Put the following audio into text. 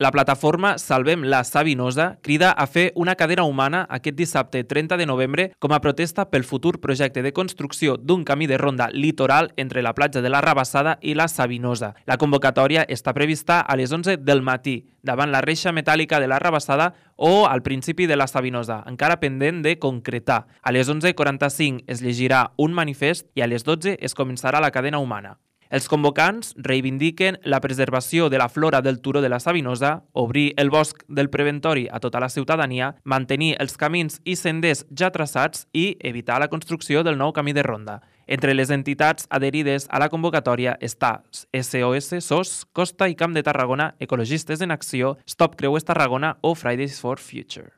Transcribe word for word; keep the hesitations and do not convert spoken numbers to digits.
La plataforma Salvem la Savinosa crida a fer una cadena humana aquest dissabte trenta de novembre com a protesta pel futur projecte de construcció d'un camí de ronda litoral entre la platja de la Rabassada i la Savinosa. La convocatòria està prevista a les onze del matí, davant la reixa metàl·lica de la Rabassada o al principi de la Savinosa, encara pendent de concretar. A les onze quaranta-cinc es llegirà un manifest i a les dotze es començarà la cadena humana. Els convocants reivindiquen la preservació de la flora del turó de la Savinosa, obrir el bosc del Preventori a tota la ciutadania, mantenir els camins i senders ja traçats i evitar la construcció del nou camí de ronda. Entre les entitats adherides a la convocatòria està S O S, S O S, Costa i Camp de Tarragona, Ecologistes en Acció, Stop Creuers Tarragona o Fridays for Future.